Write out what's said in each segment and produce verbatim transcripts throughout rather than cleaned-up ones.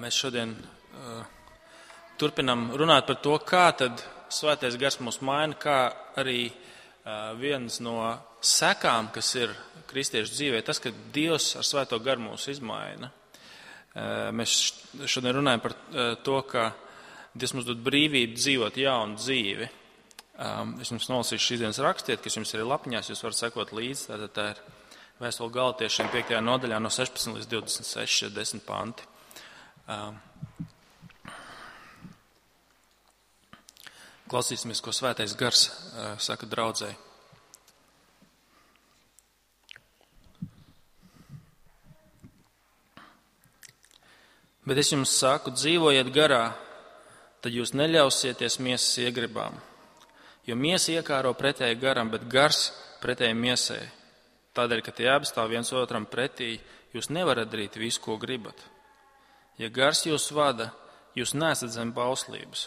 Mēs šodien turpinam runāt par to, kā tad Svētais Gars mūs maina, kā arī viens no sekām, kas ir kristiešu dzīvē, tas, ka Dievs ar Svēto Garu mūs izmaina. Mēs šodien runājam par to, ka Dievs mums dod brīvību dzīvot jaunu dzīvi. Es jums nolasīšu šīs dienas rakstiet, kas jums ir lapiņās, jūs varat sekot līdzi. Tātad tā ir Vēstule Galatiešiem piektajā nodaļā no sešpadsmit līdz divdesmit seši, desmit panti. Klausīsimies, ko Svētais Gars saka draudzei. Bet es jums saku, dzīvojiet garā, tad jūs neļausieties miesas iegribām. Jo miesa iekāro pretēji garam, bet gars pretēji miesai. Tādēļ, ka tie abi stāv viens otram pretī, jūs nevarat darīt visu, ko gribat. Ja gars jūs vada, jūs neesat zem bauslības.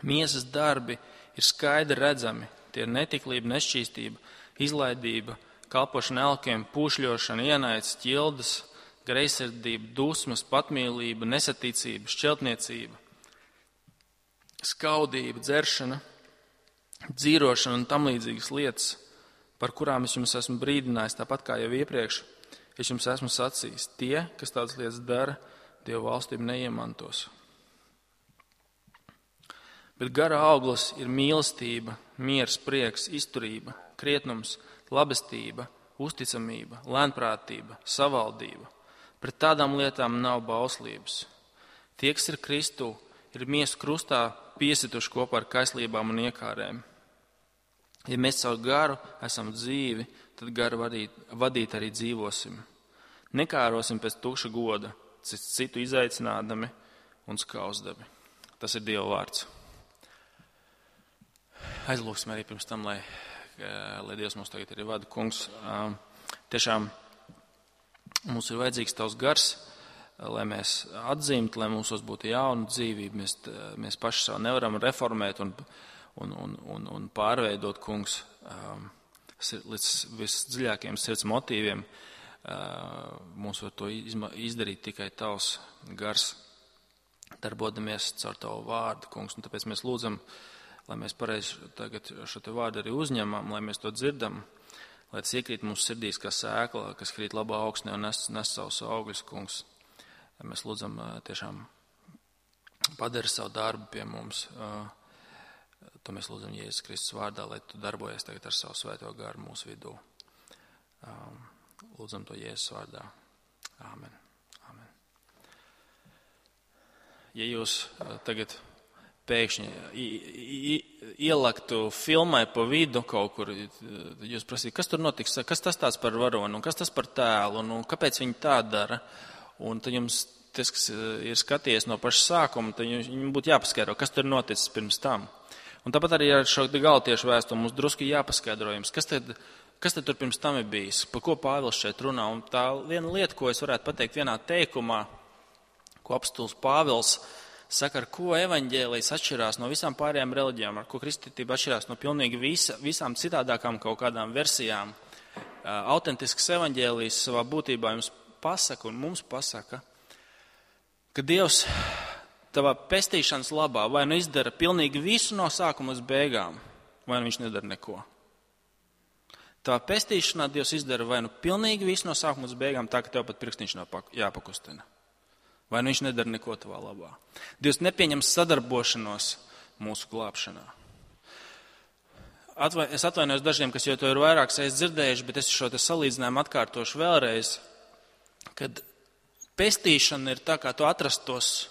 Miesas darbi ir skaidri redzami. Tie ir netiklība, nešķīstība, izlaidība, kalpošana elkiem, pūšļošana, ienaids, ķildas, greizsirdība, dusmas, patmīlība, nesaticība, šķeltniecība, skaudība, dzeršana, dzīrošana un tam līdzīgas lietas, par kurām es jums esmu brīdinājis, tāpat kā jau iepriekš, es jums esmu sacījis. Tie, kas tādas lietas dara, Dieva valstību neiemantos. Bet gara auglis ir mīlestība, miers, prieks, izturība, krietnums, labestība, uzticamība, lēnprātība, savaldība. Pret tādām lietām nav bauslības. Tie, kas ir Kristū, ir miesu krustā piesituši kopā ar kaislībām un iekārēm. Ja mēs caur garu esam dzīvi, tad garu vadīt, vadīt arī dzīvosim. Nekārosim pēc tukša goda, citu izaicinādami un skausdami. Tas ir Dieva vārds. Aizlūksim arī pirms tam, lai, lai Dievs mums tagad arī vada. Kungs, tiešām mums ir vajadzīgs tavs gars, lai mēs atzīmtu, lai mūsos būtu jauna dzīvība. Mēs, mēs paši savu nevaram reformēt un Un, un, un, un pārveidot, kungs, līdz visdziļākajiem sirds motīviem. Mums var to izdarīt tikai tavs gars, darbodamies caur tavu vārdu, kungs. Un tāpēc mēs lūdzam, lai mēs pareizi tagad šo te vārdu arī uzņemam, lai mēs to dzirdam, lai tas iekrīt mūsu sirdīs kā sēkla, kas krīt labā augsnē un nes, nes savus augļus, kungs. Mēs lūdzam tiešām padari savu darbu pie mums. To mēs lūdzam Jēzus Kristus vārdā, lai tu darbojies tagad ar savu Svēto Garu mūsu vidū. Lūdzam to Jēzus vārdā. Āmen. Āmen. Ja jūs tagad pēkšņi ielaktu filmai pa vidu kaut kur, jūs prasītu, kas tur notiks, kas tas tāds par varonu, un kas tas par tēlu, un kāpēc viņi tā dara, un tad jums tas, kas ir skatījies no paša sākuma, tad jums būtu jāpaskaidro, kas tur noticis pirms tam. Un tāpat arī ar šo Galatiešu vēstuli mums drusku jāpaskaidro jums, kas tad, kas tad tur pirms tam ir bijis, par ko Pāvils šeit runā. Un tā viena lieta, ko es varētu pateikt vienā teikumā, ko apostols Pāvils saka, ar ko evaņģēlijs atšķirās no visām pārējām reliģijām, ar ko kristietība atšķirās no pilnīgi visa, visām citādākām kaut kādām versijām. Autentisks evaņģēlijs savā būtībā jums pasaka un mums pasaka, ka Dievs tavā pestīšanas labā vai nu izdara pilnīgi visu no sākuma līdz beigām, vai nu viņš nedara neko. Tavā pestīšanā Dievs izdara vai nu pilnīgi visu no sākuma līdz beigām, tā ka tev pat pirkstiņš nav jāpakustina. Vai nu viņš nedara neko tavā labā. Dievs nepieņem sadarbošanos mūsu glābšanā. Atvai, es atvainojos dažiem, kas jau to ir vairākas reizes dzirdējuši, bet es šo te salīdzinājumu atkārtošu vēlreiz, kad pestīšana ir tā, kā tu atrastos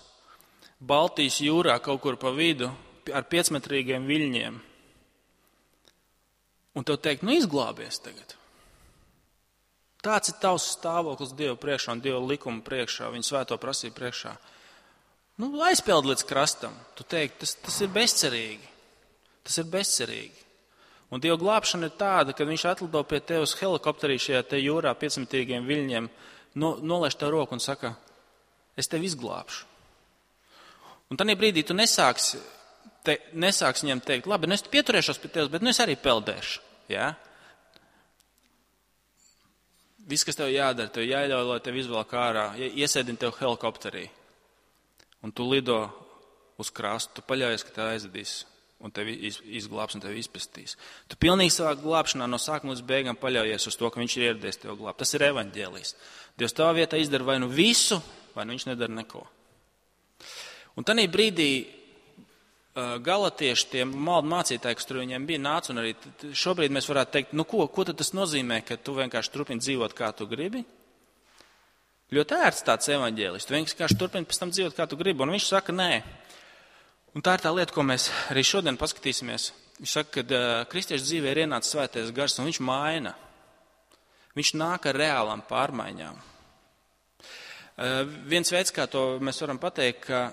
Baltijas jūrā kaut kur pa vidu ar piecmetrīgiem viļņiem. Un tev teikt, nu izglābies tagad. Tāds ir tavs stāvoklis Dieva priekšā un Dieva likuma priekšā, viņa svēto prasību priekšā. Nu, aizpeld līdz krastam. Tu teikt, tas, tas ir bezcerīgi. Tas ir bezcerīgi. Un Dieva glābšana ir tāda, ka viņš atlido pie tevis helikopterī šajā te jūrā piecmetrīgiem viļņiem, no, nolaiž tev roku un saka, es tevi izglābšu. Un tādā brīdī tu nesāksi, te, nesāksi viņam teikt, labi, nu es pieturēšos pie tevis, bet nu es arī peldēšu. Ja? Viss, kas tev jādara, tev jāļauj, lai tev izvelk ārā, iesēdini tev helikopterī. Un tu lido uz krastu, tu paļaujies, ka tev aizvedīs, un tevi izglābs un tevi izpestīs. Tu pilnīgi savā glābšanā no sākuma līdz beigām paļaujies uz to, ka viņš ir ieradies tev glābt. Tas ir evaņģēlijs. Dievs tavā vietā izdara vai nu visu, vai nu viņš nedara neko. Un tanī brīdī galatieši, tie maldu mācītāji, kas tur viņiem bija, nāca, un arī šobrīd mēs varētu teikt, nu ko, ko tad tas nozīmē, ka tu vienkārši turpini dzīvot, kā tu gribi? Ļoti ērts tāds evaņģēlis, tu vienkārši turpini pēc tam dzīvot, kā tu gribi, un viņš saka, nē. Un tā ir tā lieta, ko mēs arī šodien paskatīsimies. Viņš saka, ka uh, kristiešu dzīvē ir ienācis svētais gars, un viņš maina. Viņš nāk ar reālām pārmaiņām. Uh, viens veids, kā to mēs varam pateikt, ka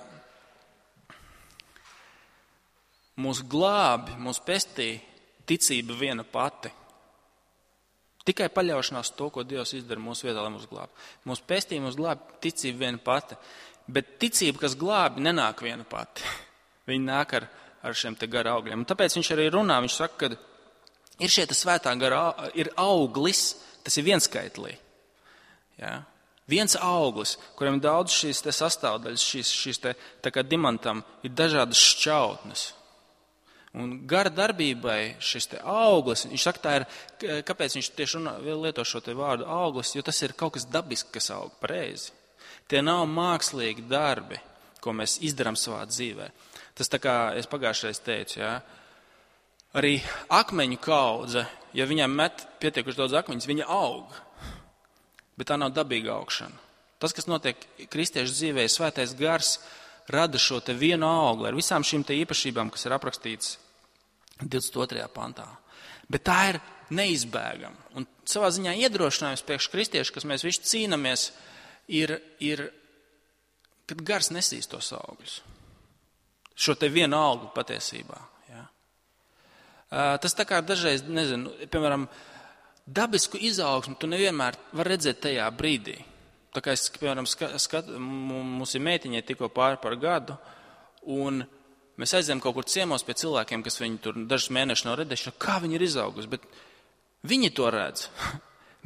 mūs glābi, mūs pestī ticība viena pati. Tikai paļaušanās to, ko Dievs izdara mūsu vietā, lai mūs glābi. Mūs pestī, mūs glābi ticība viena pati. Bet ticība, kas glābi, nenāk viena pati. Viņi nāk ar, ar šiem te gara augļiem. Un tāpēc viņš arī runā, viņš saka, ka ir šie te svētā gara, ir auglis, tas ir vienskaitlī. Ja? Viens auglis, kuriem daudz šīs te sastāvdaļas, šīs, šīs te, tā kā dimantam, ir dažādas šķautnes. Un gara darbībai šis te auglis, viņš saka, tā ir, kāpēc viņš tieši runā, lieto šo te vārdu auglis, jo tas ir kaut kas dabisks, kas aug pareizi. Tie nav mākslīgi darbi, ko mēs izdarām savā dzīvē. Tas tā kā es pagājušreiz teicu, jā, arī akmeņu kaudze, ja viņam met pietiekuši daudz akmeņus, viņa aug, bet tā nav dabīga augšana. Tas, kas notiek kristiešu dzīvē, svētais gars rada šo te vienu augli ar visām šīm te īpašībām, kas ir aprakstītas divdesmit otrajā pantā. Bet tā ir neizbēgama. Un savā ziņā iedrošinājums priekš kristiešu, kas mēs visi cīnamies, ir, ir, kad gars nesīs tos augļus. Šo te vienu augli patiesībā. Ja. Tas tā kā dažreiz, nezinu, piemēram, dabisku izaugsmu tu nevienmēr var redzēt tajā brīdī. Tā kā es, piemēram, skat, mums ir meitiņai tikko pāri par gadu, un mēs aizējām kaut kur ciemos pie cilvēkiem, kas viņi tur dažus mēnešus nav redējuši, kā viņi ir izaugusi, bet viņi to redz.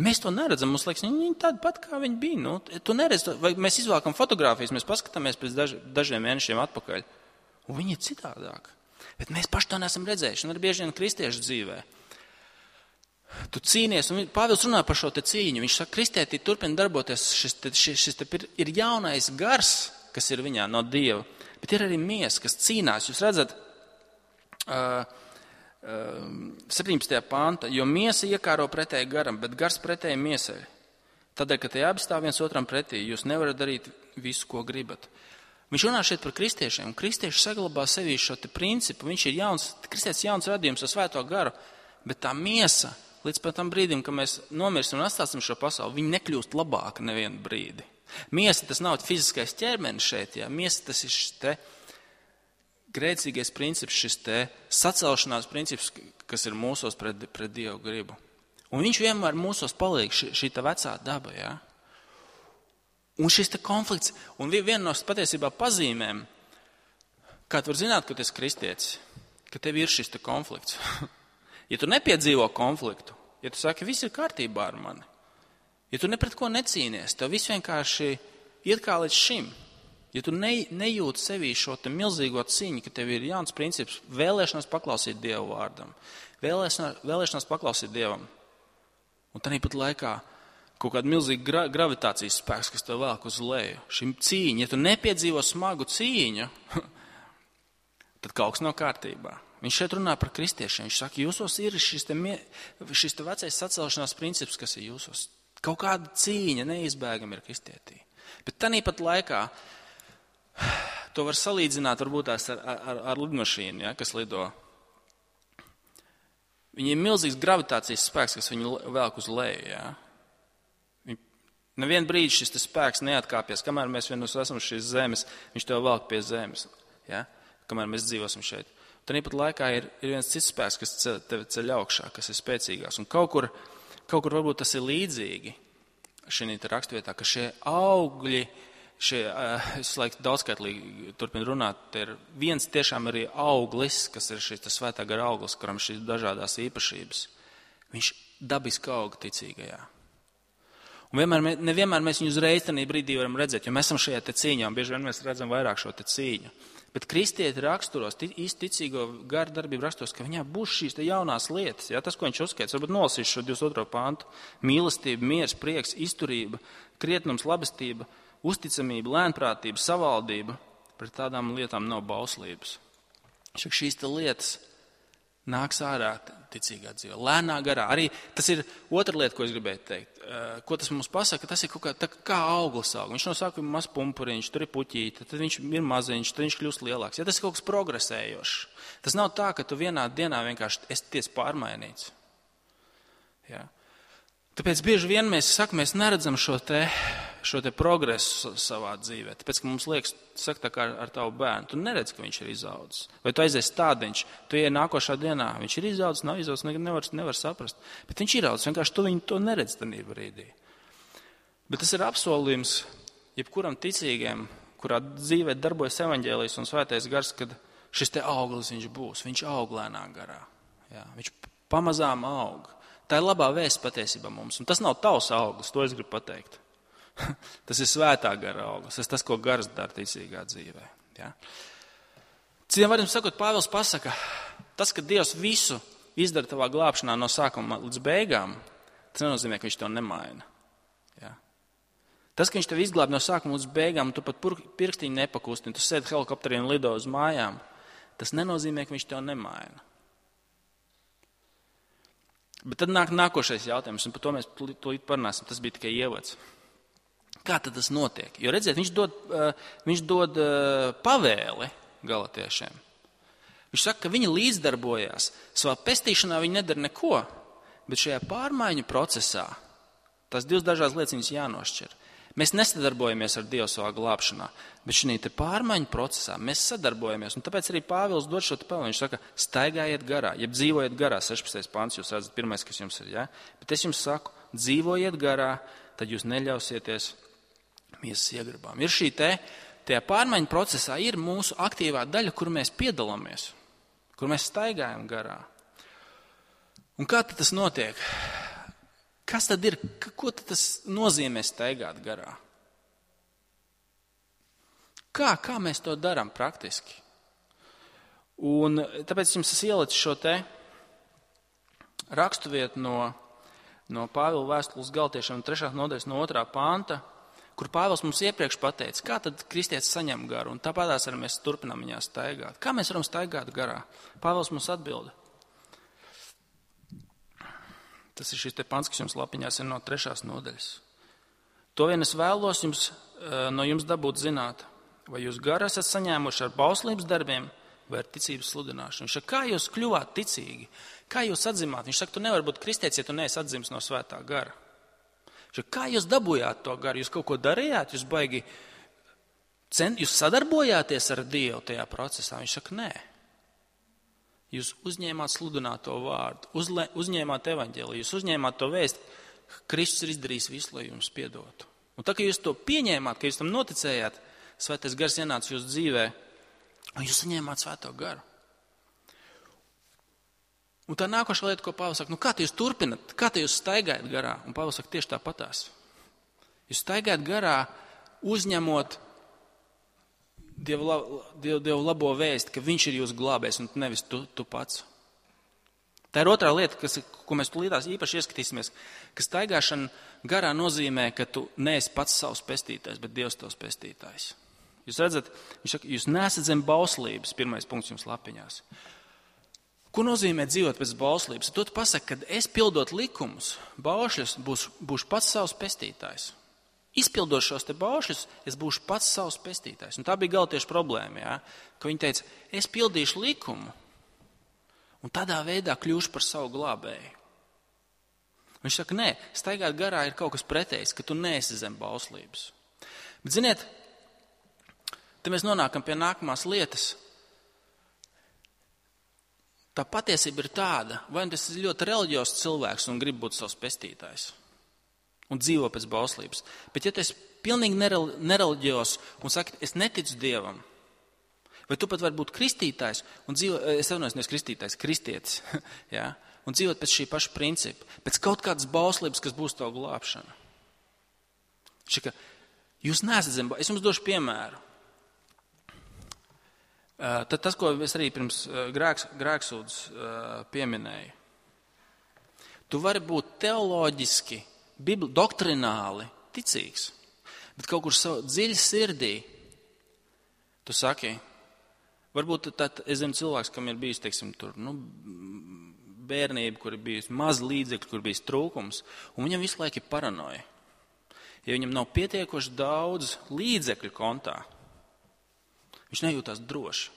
Mēs to neredzam, mums liekas, viņi tādi pat, kā viņi bija. Nu, tu neredz to, vai mēs izvākam fotogrāfijas, mēs paskatāmies pēc daž, dažiem mēnešiem atpakaļ, un viņi ir citādāk. Bet mēs paši to neesam redzējuši, un arī bieži vien kristiešu dzīvē. Tu cīnies, un Pāvils runā par šo te cīņu. Viņš saka, kristietī turpina darboties, šis, te, šis, šis te ir jaunais gars, kas ir viņā no Dieva, bet ir arī miesa, kas cīnās. Jūs redzat, uh, uh, septiņpadsmitajā pānta, jo miesa iekāro pretēji garam, bet gars pretēji miesai. Tādēļ, ka tie abi stāv viens otram pretī, jūs nevarat darīt visu, ko gribat. Viņš runā šeit par kristiešiem, un kristieši saglabā sevī šo te principu. Viņš ir jauns, kristietis jauns radījums ar svēto garu, bet tā miesa, līdz pat tam brīdim, kad mēs nomirsim un atstāsim šo pasauli, viņi nekļūst labāka nevienu brīdi. Miesa tas nav fiziskais ķermenis šeit, jā. Miesa tas ir šis te grēcīgais princips, šis te sacelšanās princips, kas ir mūsos pret, pret Dievu gribu. Un viņš vienmēr mūsos paliek šī, šī tā vecā daba, jā. Un šis te konflikts, un viena no patiesībā pazīmēm, kā tu var zināt, ka tu esi kristietis, ka tev ir šis te konflikts. Ja tu nepiedzīvo konfliktu, ja tu saki, viss ir kārtībā ar mani, ja tu ne pret ko necīnies, tev viss vienkārši iet kā līdz šim, ja tu ne, nejūti sevī šo te milzīgo cīņu, ka tev ir jauns princips, vēlēšanās paklausīt Dievu vārdam, vēlēšanās, vēlēšanās paklausīt Dievam, un tad pat laikā kaut kāda milzīga gra, gravitācijas spēks, kas tev velk uz leju, šim cīņa, ja tu nepiedzīvo smagu cīņu, tad kaut kas nav kārtībā. Viņš šeit runā par kristiešiem. Viņš saka, jūsos ir šis te, šis te vecais sacelšanās princips, kas ir jūsos. Kaut kāda cīņa neizbēgama ir kristietī. Bet tanī pat laikā to var salīdzināt varbūt tās ar, ar, ar lidmašīnu, ja, kas lido. Viņiem ir milzīgs gravitācijas spēks, kas viņu velk uz leju. Ja. Nevienu brīdi šis spēks neatkāpies, kamēr mēs vienus esam šīs zemes, viņš tev velk pie zemes, ja, kamēr mēs dzīvosim šeit. Tad pat laikā ir, ir viens cits spēks, kas ceļ, tevi ceļ augšā, kas ir spēcīgās. Un kaut kur, kaut kur varbūt tas ir līdzīgi šī rakstvietā, ka šie augļi, šie, es laiku daudzskaitlīgi turpinu runāt, ir viens tiešām arī auglis, kas ir šis svētā gara auglis, kuram šīs dažādās īpašības. Viņš dabiski aug ticīgajā. Un vienmēr, nevienmēr mēs viņu uzreiz tajā brīdī varam redzēt, jo mēs esam šajā te cīņā, un bieži vien mēs redzam vairāk šo te cīņu. Bet kristieti raksturos, īsti ticīgo garu darbību raksturos, ka viņā būs šīs te jaunās lietas. Ja? Tas, ko viņš uzskaits, varbūt nolasīs šo divdesmit otro pantu. Mīlestība, miers, prieks, izturība, krietnums, labestība, uzticamība, lēnprātība, savaldība. Pret tādām lietām nav bauslības. Šīs te lietas nāks ārā ticīgā dzīvē, lēnā garā. Arī tas ir otra lieta, ko es gribēju teikt. Ko tas mums pasaka? Tas ir kaut kā, tā, kā auglis aug. Viņš no sākuma ir maz pumpuriņš, tur ir puķīte, tad viņš ir maziņš, tad viņš kļūst lielāks. Ja tas ir kaut kas progresējošs. Tas nav tā, ka tu vienā dienā vienkārši esi ties pārmainīts. Ja? Tāpēc bieži vien mēs sakam, mēs neredzam šo te, šo te progresu savā dzīvē. Tāpēc, ka mums liekas, saka tā kā ar tavu bērnu, tu neredz, ka viņš ir izaudzis. Vai tu aizies tādiņš, tu ieej nākošā dienā, viņš ir izaudzis, nav izaudzis, nevar, nevar saprast. Bet viņš ir izaudzis, vienkārši tu viņu to neredz tajā brīdī. Bet tas ir apsolījums jebkuram ticīgiem, kurā dzīvē darbojas evaņģēlijs un svētais gars, kad šis te auglis viņš būs, viņš aug lēnā garā. Jā, viņš pamazām aug. Tā ir labā vēsts patiesībā mums. Un tas nav tavs auglis, to es gribu pateikt. Tas ir svētā gara auglis. Tas ir tas, ko gars dara ticīgā dzīvē. Ja? Citiem vārdiem sakot, Pāvils pasaka, tas, ka Dievs visu izdara tavā glābšanā no sākuma līdz beigām, tas nenozīmē, ka viņš to nemaina. Ja? Tas, ka viņš tev izglāb no sākuma līdz beigām, un tu pat pirkstiņu nepakustini, tu sēdi helikopterī un lido uz mājām, tas nenozīmē, ka viņš to nemaina. Bet tad nāk nākošais jautājums, un par to mēs tūlīt parunāsim, tas bija tikai ievads. Kā tad tas notiek? Jo redziet, viņš dod, viņš dod pavēli galatiešiem. Viņš saka, ka viņi līdzdarbojās. Savā pestīšanā viņi nedara neko, bet šajā pārmaiņu procesā tās divas dažādas lietas viņas jānošķir. Mēs nesadarbojamies ar Dievu savā glābšanā, bet šī te pārmaiņu procesā mēs sadarbojamies. Un tāpēc arī Pāvils dod šo te pavēli. Viņš saka, staigājiet garā, jeb dzīvojiet garā. sešpadsmitais pants, jūs redzat, pirmais, kas jums ir. Ja? Bet es jums saku, dzīvojiet garā, tad jūs neļausieties miesas iegribām. Ir šī te, tajā pārmaiņu procesā ir mūsu aktīvā daļa, kur mēs piedalāmies, kur mēs staigājam garā. Un kā tad tas notiek? Kas tad ir, ko tad tas nozīmē staigāt garā? Kā, kā mēs to darām praktiski? Un tāpēc jums es ielicu šo te raksturvietu no, no Pāvila vēstules Galatiešiem trešās nodaļas no otrā panta, kur Pāvils mums iepriekš pateica, kā tad kristietis saņem garu, un tāpatās arī mēs turpinām viņā staigāt. Kā mēs varam staigāt garā? Pāvils mums atbilda. Tas ir šis te pants, kas jums lapiņās ir no trešās nodaļas. To vien es vēlos jums, no jums dabūt zināt, vai jūs garu esat saņēmuši ar bauslības darbiem vai ar ticības sludināšanu. Viņš saka, kā jūs kļuvāt ticīgi? Kā jūs atzimāt? Viņš saka, tu nevari būt kristietis, ja tu neesi atzims no svētā gara. Viņš saka, kā jūs dabūjāt to garu? Jūs kaut ko darījāt? Jūs baigi, cent, jūs sadarbojāties ar Dievu tajā procesā? Viņš saka, nē. Jūs uzņēmāt sludināto vārdu, uzle, uzņēmāt evaņģēliju, jūs uzņēmāt to vēst, ka Kristus ir izdarījis visu, lai jums piedotu. Un tā, ka jūs to pieņēmāt, ka jūs tam noticējāt, svētais gars ienāca jūsu dzīvē, un jūs saņēmāt svēto garu. Un tā nākošā lieta, ko Pāvils saka, nu kā jūs turpinat, kā jūs staigājat garā? Un Pāvils saka, tieši tāpatās. Jūs staigājat garā, uzņemot Dievu, Dievu, Dievu labo vēsti, ka viņš ir jūsu glābējs un nevis tu, tu pats. Tā ir otrā lieta, kas, ko mēs tulītās īpaši ieskatīsimies, ka staigāšana garā nozīmē, ka tu neesi pats savs pestītājs, bet Dievs tavs pestītājs. Jūs redzat, viņš saka, jūs nesat zem bauslības, pirmais punkts jums lapiņās. Ko nozīmē dzīvot pēc bauslības? To tu pasaka, kad es pildot likumus, baušļus, būšu, būšu pats savs pestītājs. Izpildot šos te baušļus, es būšu pats savs pestītājs. Un tā bija galtiešu problēma, ja? Ka viņi teica, es pildīšu likumu un tādā veidā kļūšu par savu glābēju. Viņš saka, nē, staigāt garā ir kaut kas pretējs, ka tu neesi zem bauslības. Bet ziniet, te mēs nonākam pie nākamās lietas. Tā patiesība ir tāda, vai tas ir ļoti reliģiozs cilvēks un grib būt savs pestītājs un dzīvo pēc bauslības. Bet ja tu esi pilnīgi nereliģiozs un saki, es neticu Dievam, vai tu pat vari būt kristītājs un dzīvo, es atvainojos, nevis kristītājs, kristietis, ja? Un dzīvot pēc šī paša principa, pēc kaut kādas bauslības, kas būs tavu glābšana. Šika, jūs neesat zem bauslības. Es jums došu piemēru. Tad tas, ko es arī pirms grēks, grēksūdzes pieminēju. Tu vari būt teoloģiski, bibli, doktrināli ticīgs, bet kaut kur savu dziļi sirdī tu saki, varbūt tad, es zinu cilvēks, kam ir bijis, teiksim, tur, nu, bērnība, kur ir bijis maz līdzekļu, kur ir bijis trūkums, un viņam visu laiku ir paranoja. Ja viņam nav pietiekoši daudz līdzekļu kontā, viņš nejūtās droši.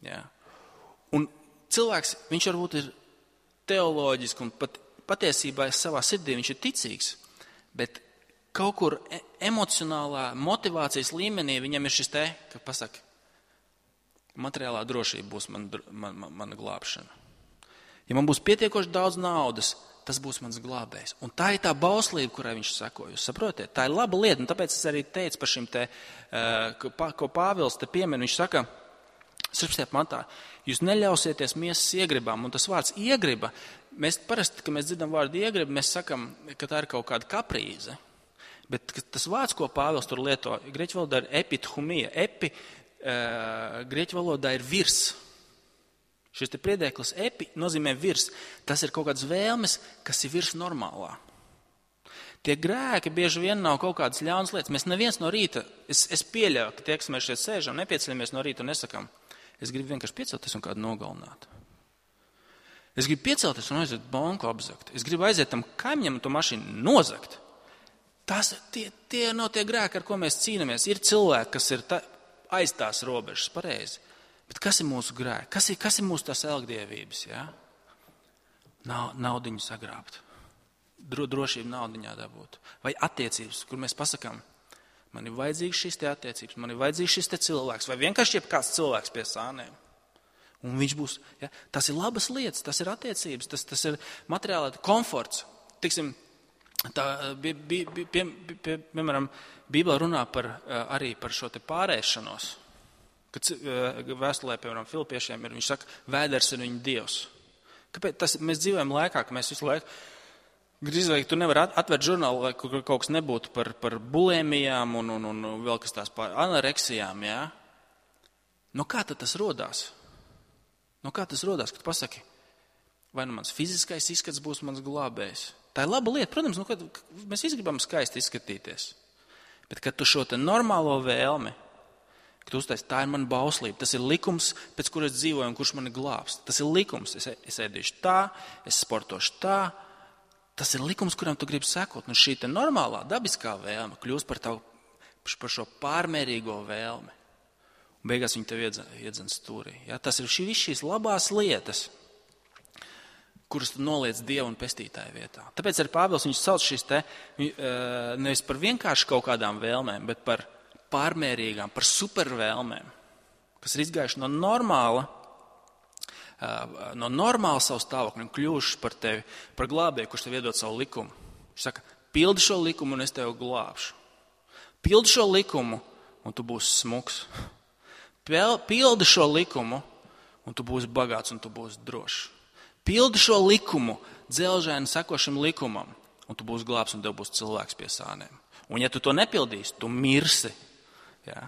Jā. Un cilvēks, viņš varbūt ir teoloģiski un pat, patiesībā savā sirdī viņš ir ticīgs, bet kaut kur emocionālā motivācijas līmenī viņam ir šis te, ka pasaka, materiālā drošība būs man, man, man, mana glābšana. Ja man būs pietiekoši daudz naudas, tas būs mans glābējs. Un tā ir tā bauslība, kurai viņš sako. Jūs saprotiet? Tā ir laba lieta, un tāpēc es arī teicu par šim te, ko Pāvils te piemin. Viņš saka, sirdsapziņā pantā, jūs neļausieties miesas iegribām, un tas vārds iegriba, mēs parasti, kad mēs dzirdam vārdu iegriba, mēs sakam, ka tā ir kaut kāda kaprīze. Bet tas vārds, ko Pāvils tur lieto, grieķu valodā ir epithumija. Epi, uh, grieķu valodā ir virs. Šis te priedēklis epi nozīmē virs. Tas ir kaut kādas vēlmes, kas ir virs normālā. Tie grēki bieži vien nav kaut kādas ļaunas lietas. Mēs neviens no rīta, es, es pieļauju, ka tie, kas mēs šeit sēžam, nepieceļamies no rīta un nesakam, es gribu vienkārši piecelties un kādu nogalināt. Es gribu piecelties un aiziet banku apzakt. Es gribu aiziet tam kaimiņam un to mašīnu nozakt. Tas, tie, tie nav tie grēki, ar ko mēs cīnāmies. Ir cilvēki, kas ir ta, aiz tās robežas, pareizi. Bet kas ir mūsu grēki? Kas ir, kas ir mūsu tās elgdievības? Ja? Nav, naudiņu sagrābt. Dro, drošību naudiņā dabūt. Vai attiecības, kur mēs pasakām, man ir vajadzīgs šis te attiecības, man ir vajadzīgs šis te cilvēks, vai vienkārši jebkāds cilvēks pie sāniem. Un viņš būs, ja? Tas ir labas lietas, tas ir attiecības, tas, tas ir materiālā komforts. Tiksim, tā, pie, pie, pie, pie, pie, piemēram, Bībelē runā par, arī par šo te pārēšanos. Kad vēstulē, piemēram, Filipiešiem ir, viņš saka, vēders ir viņa dievs. Kāpēc? Tas, mēs dzīvojam laikā, ka mēs visu laiku, grīzvīgi, tu nevar atvērt žurnālu, lai kaut kas nebūtu par, par bulēmijām un, un, un vēl kas tās par anoreksijām, jā? No kā tad tas rodās? No kā tas rodās, kad pasaki, vai nu mans fiziskais izskats būs mans glābējs? Tā ir laba lieta, protams, nu, kad mēs visi gribam skaisti izskatīties. Bet kad tu šo te normālo vēlmi, ka tu uztais, tā ir mana bauslība, tas ir likums, pēc kuras dzīvoju un kurš mani glābs. Tas ir likums, es, es ēdīšu tā, es sportošu tā, tas ir likums, kuram tu gribi sekot. Un šī te normālā, dabiskā vēlme kļūst par, tavu, par šo pārmērīgo vēlmi. Un beigās viņi tev iedzen stūrī. Ja? Tas ir šī, šīs labās lietas, kuras tu noliec Dievu un pestītāju vietā. Tāpēc arī Pāvils viņš sauc šīs te, nevis par vienkārši kaut kādām vēlmēm, bet par pārmērīgām, par supervēlmēm, kas ir izgājuši no normāla, no normāla savu stāvokļu un kļuvuši par tevi, par glābēju, kurš tev iedod savu likumu. Viņš saka, pildi šo likumu un es tevi glābšu. Pildi šo likumu un tu būsi smuks. Pildi šo likumu un tu būsi bagāts un tu būsi drošs. Pildi šo likumu, dzelžaini sekošam likumam un tu būsi glābs un tev būs cilvēks pie sāniem. Un ja tu to nepildīsi, tu mirsi. Jā.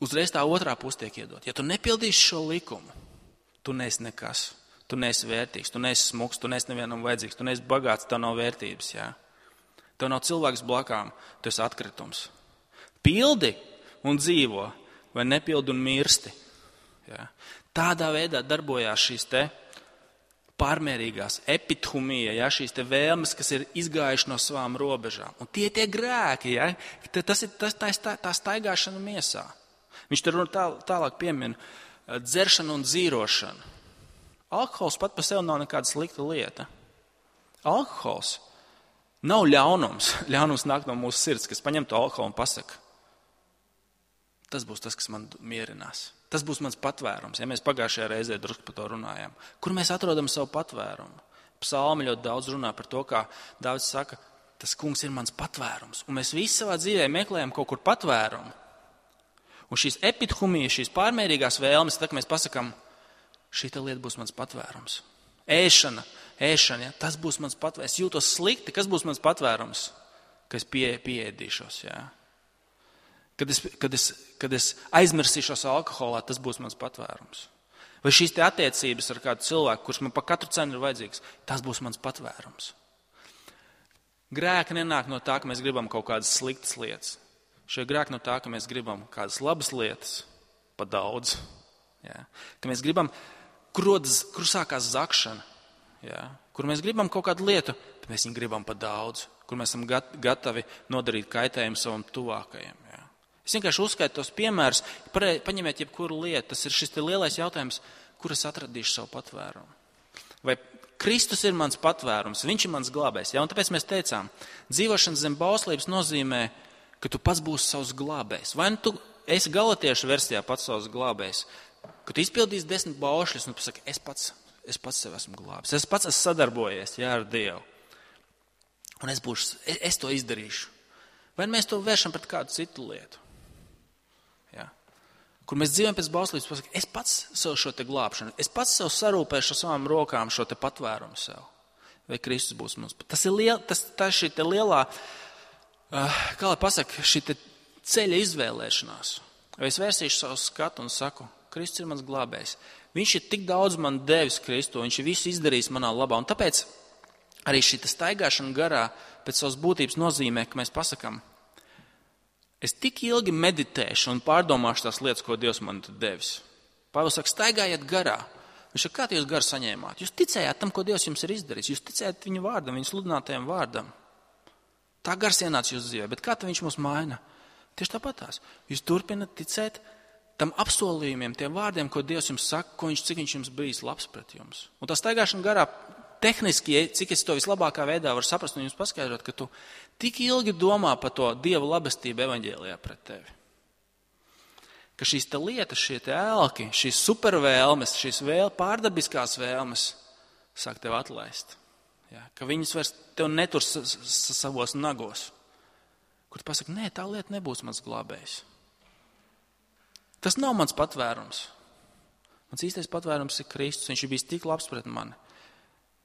Uzreiz tā otrā puse tiek iedot. Ja tu nepildīsi šo likumu, tu neesi nekas, tu neesi vērtīgs, tu neesi smuks, tu neesi nevienam vajadzīgs, tu neesi bagāts, tev nav vērtības. Jā. Tev nav cilvēks blakām, tu esi atkritums. Pildi un dzīvo, vai nepildi un mirsti. Jā. Tādā veidā darbojās šīs te pārmērīgās epithumija, ja, šīs te vēlmes, kas ir izgājuši no savām robežām. Un tie tie grēki, ja, tas ir tas, tā, tā, tā staigāšana miesā. Viņš tur tā, tālāk piemina dzeršanu un dzīrošanu. Alkohols pat par sevi nav nekāda slikta lieta. Alkohols nav ļaunums. Ļaunums nāk no mūsu sirds, kas paņem to alkoholu un pasaka, tas būs tas, kas man mierinās. Tas būs mans patvērums, ja mēs pagājušajā reizē drusku par to runājām. Kur mēs atrodam savu patvērumu? Psalmi ļoti daudz runā par to, kā Dāvids saka, tas kungs ir mans patvērums. Un mēs visi savā dzīvē meklējam kaut kur patvērumu. Un šīs epithumijas, šīs pārmērīgās vēlmes, tad mēs pasakām, šī lieta būs mans patvērums. Ēšana, ēšana, ja, tas būs mans patvērums. Es jūtos slikti, kas būs mans patvērums? ka es pie, pieēdīšos. Jā. Kad, es, kad, es, kad es aizmirsīšos alkoholā, tas būs mans patvērums. Vai šīs te attiecības ar kādu cilvēku, kurš man pa katru cenu ir vajadzīgs, tas būs mans patvērums. Grēki nenāk no tā, ka mēs gribam kaut kādas sliktas lietas. Šie grēki no tā, ka mēs gribam kādas labas lietas, pa daudz. Jā. Ka mēs gribam, kur, rodas, kur sākās zakšana, jā. Kur mēs gribam kaut kādu lietu, bet mēs viņu gribam pa daudz. Kur mēs esam gatavi nodarīt kaitējumu savam tuvākajam. Jā. Es vienkārši uzskaitu tos piemērus, paņemiet jebkuru lietu. Tas ir šis te lielais jautājums, kur es atradīšu savu patvērumu. Vai Kristus ir mans patvērums, viņš ir mans glābējs. Ja? Un tāpēc mēs teicām, dzīvošana zem bauslības nozīmē, ka tu pats būsi savs glābējs. Vai nu tu esi galatiešu versijā pats savs glābējs, ka tu izpildīsi desmit baušļus un tu pasaki, es pats, es pats sev esmu glābis. Es pats esmu sadarbojies jā, ar Dievu. Un es, būšu, es, es to izdarīšu. Vai mēs to vēršam pret kādu citu lietu? Ja. Kur mēs dzīvojam pēc bauslības, pasaka, es pats sev šo te glābšanu, es pats sev sarūpēšu ar savām rokām šo te patvērumu sev. Vai Kristus būs mums? Tas ir liel, tas, tā šī te lielā, uh, kā lai pasaka, šī te ceļa izvēlēšanās. Vai es vērsīšu savu skatu un saku, Kristus ir mans glābējs. Viņš ir tik daudz man devis Kristu, viņš ir visu izdarījis manā labā. Un tāpēc arī šī te staigāšana garā pēc savas būtības nozīmē, ka mēs pasakam, es tik ilgi meditēšu un pārdomāšu tās lietas, ko Dievs man devis. Pāvils saka, staigājiet garā. Viņš saka, kā jūs garu saņēmāt? Jūs ticējāt tam, ko Dievs jums ir izdarījis. Jūs ticējāt viņu vārdam, viņu sludinātajam vārdam. Tā gars ienāca jūsu dzīvē. Bet kā viņš mūs maina? Tieši tāpatās. Jūs turpināt ticēt tam apsolījumiem, tiem vārdiem, ko Dievs jums saka, ko viņš, cik viņš jums bijis labs pret jums. Un tā staigāšana garā tehniski, cik es to vislabākā veidā varu saprast un jums paskaidrot, ka tu tik ilgi domā par to Dieva labestību evaņģēlijā pret tevi. Ka šīs te lietas, šie te ēlki, šīs supervēlmes, šīs vēl pārdabiskās vēlmes sāk tev atlaist. Ja, ka viņas vairs tev netur savos nagos. Kur tu pasaki, nē, tā lieta nebūs mans glābējs. Tas nav mans patvērums. Mans īstais patvērums ir Kristus. Viņš ir bijis tik labs pret mani.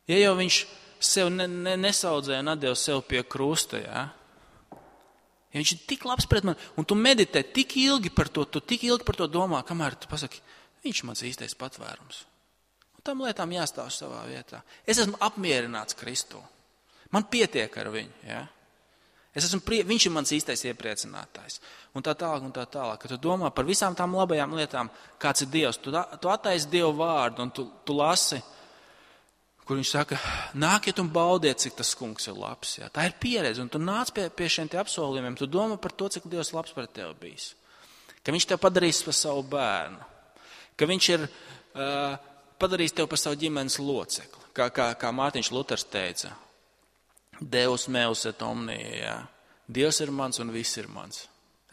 Ja jau viņš sev ne, ne, nesaudzēja un atdeva sev pie krusta, ja? Ja viņš ir tik labs pret mani, un tu meditē tik ilgi par to, tu tik ilgi par to domā, kamēr tu pasaki, viņš ir mans īstais patvērums. Un tam lietām jāstāv savā vietā. Es esmu apmierināts Kristu. Man pietiek ar viņu, ja? Es esmu prie, viņš ir mans īstais iepriecinātājs. Un tā tālāk, un tā tālāk. Kad tu domā par visām tām labajām lietām, kāds ir Dievs, tu, tu attaisi Dievu vārdu un tu, tu lasi, kur viņš saka, nākiet un baudiet, cik tas kungs ir labs. Jā. Tā ir pieredze, un tu nāc pie, pie šiem te apsolījumiem, tu domā par to, cik Dievs labs pret tevi bijis. Ka viņš tev padarīs par savu bērnu. Ka viņš ir uh, padarījis tev par savu ģimenes locekli. Kā, kā, kā Mārtiņš Luters teica, Deus meus et omnia, jā. Dievs ir mans un viss ir mans.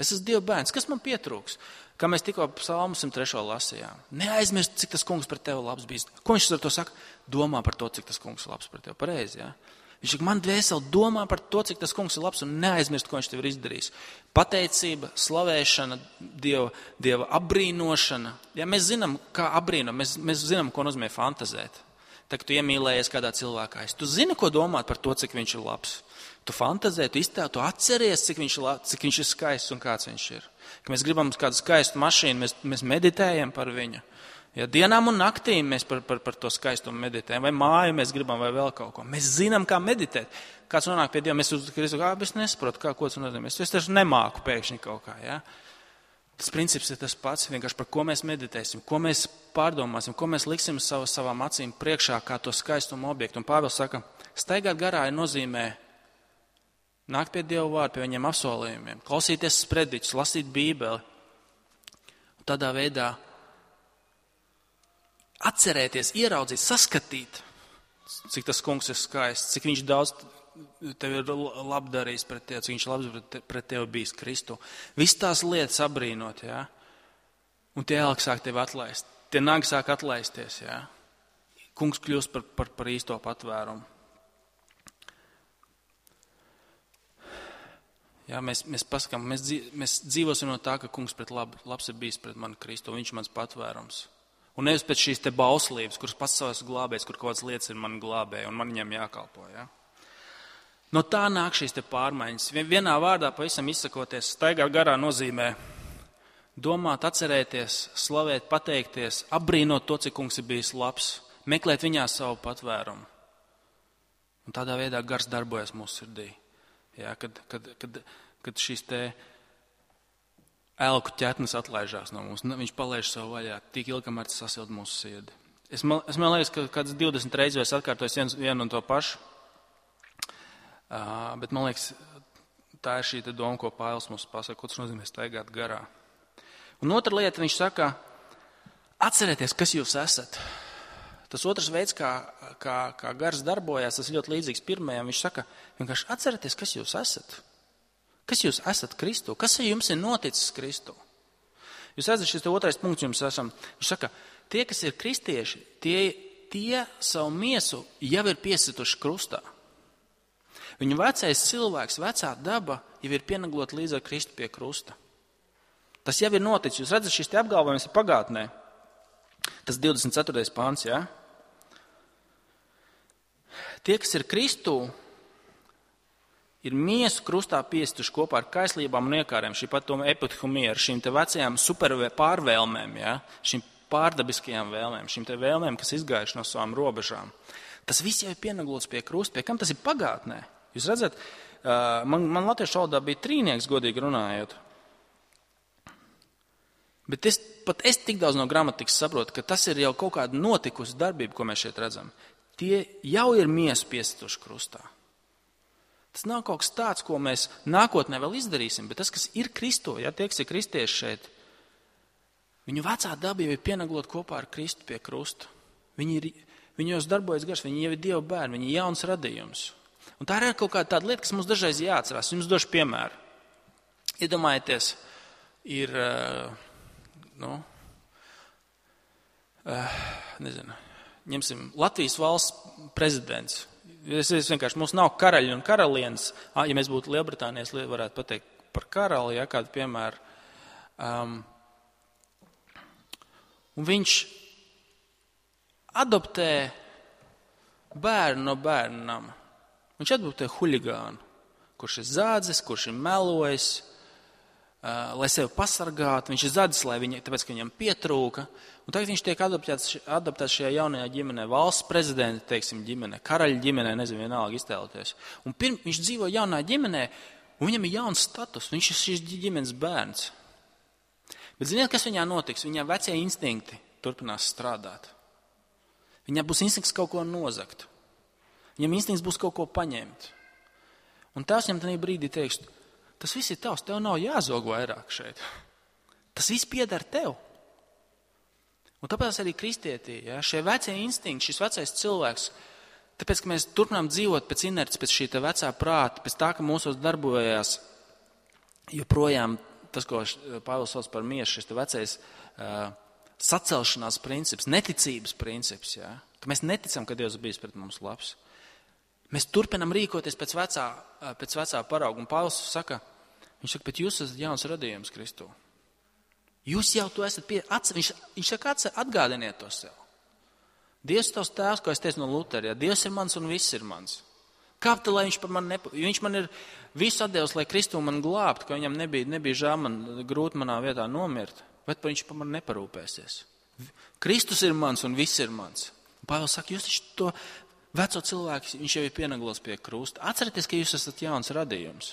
Es esmu Dieva bērns, kas man pietrūks? Kā mēs tikko psalmu simt trešo lasījām. Neaizmirst, cik tas kungs pret tevi labs bijis. Ko viņš ar to saka? Domā par to, cik tas kungs ir labs pret tevi. Pareizi, jā? Viņš saka, man dvēseli domā par to, cik tas kungs ir labs un neaizmirst, ko viņš tev ir izdarījis. Pateicība, slavēšana, Dieva, Dieva apbrīnošana. Ja mēs zinām, kā apbrīnot, mēs, mēs zinām, ko nozīmē fantazēt. Tā, ka tu iemīlējies kādā cilvēkā. Tu zini, ko domāt par to, cik viņš ir labs. Tu fantazē, tu iztēl, tu atceries, cik viņš, cik viņš ir skaists un kāds viņš ir. Ka mēs gribam kādu skaistu mašīnu, mēs, mēs meditējam par viņu. Ja dienām un naktīm mēs par, par, par to skaistumu meditējam, vai māju mēs gribam, vai vēl kaut ko. Mēs zinām, kā meditēt. Kāds nonāk pie Dieva, mēs uz Kristu, kā es nesaprotu, kā, ko tas nozīmē. Es taču nemāku pēkšņi kaut kā, ja? Tas princips ir tas pats, vienkārši par ko mēs meditēsim, ko mēs pārdomāsim, ko mēs liksim savu, savām acīm priekšā, kā to skaistumu objektu. Un Pāvils saka, staigāt garā ir nozīmē nākt pie Dieva vārdu, pie viņiem apsolījumiem, klausīties sprediķus, lasīt Bībeli. Un tādā veidā atcerēties, ieraudzīt, saskatīt, cik tas kungs ir skaists, cik viņš daudz tev ir labdarījis pret tevi, cik viņš labs pret tevi bijis Kristu. Viss tās lietas abrīnot, jā. Un tie ēlki sāk tevi atlaist. Tie nagi sāk atlaisties, jā. Kungs kļūst par, par, par īsto patvērumu. Jā, mēs, mēs pasakām, mēs, dzīv, mēs dzīvosim no tā, ka kungs pret lab, labs ir bijis pret mani Kristu, viņš ir mans patvērums. Un nevis pēc šīs te bauslības, kuras pats savas glābēs, kur kaut kādas lietas ir mani glābēji, un man viņam jākalpo, jā. No tā nāk šīs te pārmaiņas. Vienā vārdā pavisam izsakoties, staigāt garā nozīmē domāt, atcerēties, slavēt, pateikties, apbrīnot to, cik kungs ir bijis labs, meklēt viņā savu patvērumu. Un tādā veidā gars darbojas mūsu sirdī. Jā, kad, kad, kad, kad šīs te elku ķetnes atlaižās no mums, viņš palaiž savu vaļā, tik ilgi, kamēr tas sasild mūsu sirdi. Es man, es man liekas, ka kāds divdesmit reizes es atkārtoju vienu, vienu un to pašu, uh, bet man liekas, tā ir šī doma, ko Pāvils mums pasaka, ko tas nozīmē staigāt garā. Un otra lieta, viņš saka, atcerieties, kas jūs esat. Tas otrs veids, kā, kā, kā gars darbojās, tas ļoti līdzīgs pirmajam. Viņš saka, vienkārši atcerieties, kas jūs esat. Kas jūs esat Kristu? Kas jums ir noticis Kristu? Jūs redzat, šis otrais punkts jums esam. Viņš saka, tie, kas ir kristieši, tie, tie savu miesu jau ir piesituši krustā. Viņu vecais cilvēks, vecā daba jau ir pienaglot līdz ar Kristu pie krusta. Tas jau ir noticis. Jūs redzat, šis te apgalvojums ir pagātnē. Tas divdesmit ceturtais pāns, jā. Tie, kas ir Kristū, ir miesu krustā piesituši kopā ar kaislībām un iekārēm, šī pat to epithumija, ar šīm te vecajām super pārvēlmēm, jā, šīm pārdabiskajām vēlmēm, šīm te vēlmēm, kas izgājuši no savām robežām. Tas viss jau ir pienaglots pie krusta, pie kam tas ir pagātnē. Jūs redzat, man, man latviešu valodā bija trīnieks, godīgi runājot. Bet es, pat es tik daudz no gramatikas saprotu, ka tas ir jau kaut kāda notikusi darbība, ko mēs šeit redzam. Tie jau ir miesu piesituši krustā. Tas nav kaut kas tāds, ko mēs nākotnē vēl izdarīsim, bet tas, kas ir Kristo, ja tie, kas ir kristieši šeit, viņu vecā daba jau ir pienaglot kopā ar Kristu pie krusta. Viņi, ir, viņi jau darbojas gars, viņi jau ir Dieva bērni, viņi ir jauns radījums. Un tā ir kaut kāda tāda lieta, kas mums dažreiz jāatcerās. Jums došu piemēru. Iedomājieties, ir... Nu, uh, nezinu, ņemsim Latvijas valsts prezidents. Es, es vienkārši, mums nav karaļi un karalienes. Ja mēs būtu Lielbritānijas, varētu pateikt par karali, ja kādu piemēru. Um, un viņš adoptē bērnu no bērnu nama. Viņš adoptē huligānu, kurš ir zādzis, kurš ir melojis, Uh, lai sevi pasargātu, viņš ir zadzis, lai viņi, tāpēc, ka viņam pietrūka. Un tagad viņš tiek adaptēts, adaptēts šajā jaunajā ģimenē, valsts prezidenta, teiksim, ģimenē, karaļa ģimenē, nezinu, vienalga iztēloties. Un pirm, viņš dzīvo jaunā ģimenē, un viņam ir jauns status, viņš ir šīs ģimenes bērns. Bet ziniet, kas viņā notiks? Viņā vecie instinkti turpinās strādāt. Viņā būs instinkts kaut ko nozagt. Viņam instinkts būs kaut ko paņemt. Un tās viņam tajā brīdī teiks, tas viss ir tavs, tev nav jāzog vairāk šeit. Tas viss pieder tev. Un tāpēc arī kristietī, ja, šie vecie instinkti, šis vecais cilvēks, tāpēc, ka mēs turpinām dzīvot pēc inerces, pēc šī te vecā prāta, pēc tā, ka mūsos darbojās joprojām tas, ko Pāvils sauc par miesu, šis te vecais uh, sacelšanās princips, neticības princips, ja, ka mēs neticam, ka Dievs bijis pret mums labs. Mēs turpinam rīkoties pēc vecā, pēc vecā parauga. Un Pāvils saka, viņš saka, bet jūs esat jauns radījums Kristū. Jūs jau to esat pie... Atce, viņš, viņš saka, atce, atgādiniet to sev. Dievs ir tavs tēvs, ko es teicu no Lutera. Ja? Dievs ir mans un viss ir mans. Kāpēc, lai viņš par mani nepa... Viņš man ir visu atdevis, lai Kristū man glābtu, ka viņam nebija, nebija žēl man grūti manā vietā nomirt. Bet viņš par mani neparūpēsies. Kristus ir mans un viss ir mans. Un Pāvils saka, jūs taču to... Veco cilvēks, viņš jau ir pienaglos pie krusta. Atcerieties, ka jūs esat jauns radījums.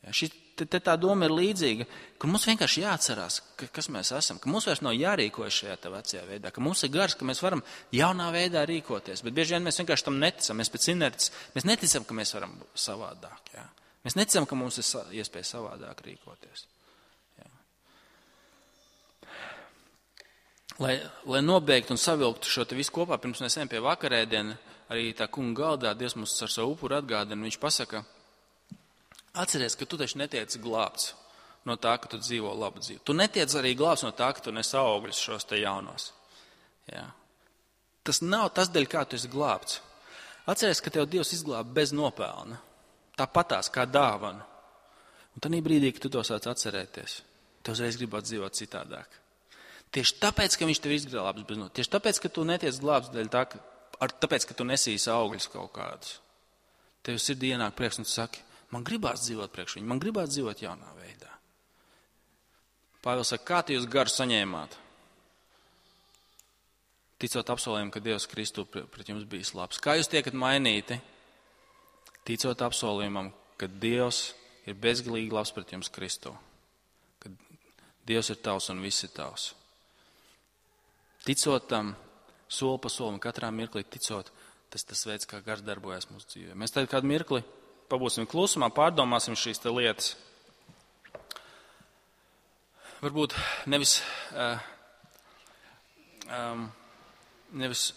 Ja, šī, te, te tā doma ir līdzīga, ka mums vienkārši jāatcerās, ka, kas mēs esam, ka mums vairs nav jārīkojas šajā te vecajā veidā, ka mums ir gars, ka mēs varam jaunā veidā rīkoties. Bet bieži vien mēs vienkārši tam neticam, mēs pēc inerces, mēs neticam, ka mēs varam savādāk. Ja. Mēs neticam, ka mums ir iespēja savādāk rīkoties. Lai, lai nobeigtu un savilktu šo te visu kopā, pirms mēs ejam pie vakarēdiena, arī tā kunga galdā Dievs mums ar savu upuru atgādina, viņš pasaka, atceries, ka tu taču netiec glābts no tā, ka tu dzīvo labu dzīvi. Tu netiec arī glābts no tā, ka tu nes augļus šos te jaunos. Jā. Tas nav tas dēļ, kā tu esi glābts. Atceries, ka tev Dievs izglāba bez nopelna. Tāpatās kā dāvanu. Un tad brīdī, kad tu to sāc atcerēties, tev uzreiz gribot dzīvot citādāk. Tieši tāpēc, ka viņš tev izglābs bez nopelna. Tieši tāpēc, ka tu netiec glābts dēļ tā, ka, ar, tāpēc, ka tu nesīsi augļus kaut kādus. tev sirdī ienāk prieks un tu saki, man gribās dzīvot priekš viņu, man gribās dzīvot jaunā veidā. Pāvils saka, kā tu jūs garu saņēmāt? Ticot apsolījumu, ka Dievs Kristu pret jums bijis labs. Kā jūs tiekat mainīti? Ticot apsolījumam, ka Dievs ir bezgalīgi labs pret jums Kristu. Ka Dievs ir tavs un viss ir tavs. Ticot tam, soli pa solim, katrā mirklī ticot, tas tas veids, kā gars darbojas mūsu dzīvē. Mēs tagad kādu mirkli pabūsim klusumā, pārdomāsim šīs te lietas. Varbūt nevis, uh, um, nevis,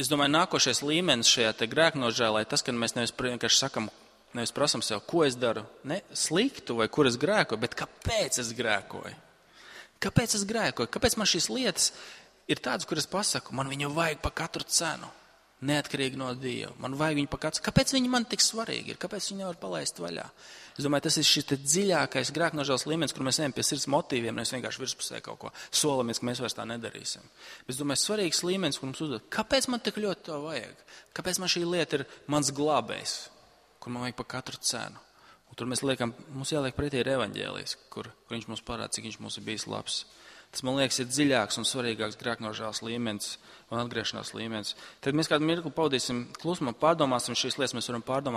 es domāju, nākošais līmenis šajā te grēknožēlē, tas, ka mēs nevis vienkārši sakam, nevis prasam sev, ko es daru, ne sliktu vai kur es grēkoju, bet kāpēc es grēkoju? Kāpēc es grēkoju? Kāpēc man šīs lietas ir tādas, kuras pasaku, man viņu vajag pa katru cenu, neatkarīgi no Dieva. Man vajag viņu pa katru cenu. Kāpēc viņi man tik svarīgi ir? Kāpēc viņi nevar palaist vaļā? Es domāju, tas ir šis te dziļākais grēknožēlas līmenis, kur mēs ejam pie sirds motīviem, nevis vienkārši virspusē kaut ko solamies, ka mēs vairs tā nedarīsim. Bet es domāju, svarīgs līmenis, kur mums uzdod, kāpēc man tik ļoti to vajag? Kāpēc man šī lieta ir mans glābējs, kur man vajag pa katru cenu? Un tur mēs liekam, mums jāliek pretī ir evaņģēlijs, kur, kur viņš mums parāda, cik viņš mums ir bijis labs. Tas, man liekas, ir dziļāks un svarīgāks grēknožēlas līmenis un atgriešanās līmenis. Tad mēs kādu mirkli pavadīsim klusumā, pārdomāsim šīs lietas, mēs varam pārdomāt.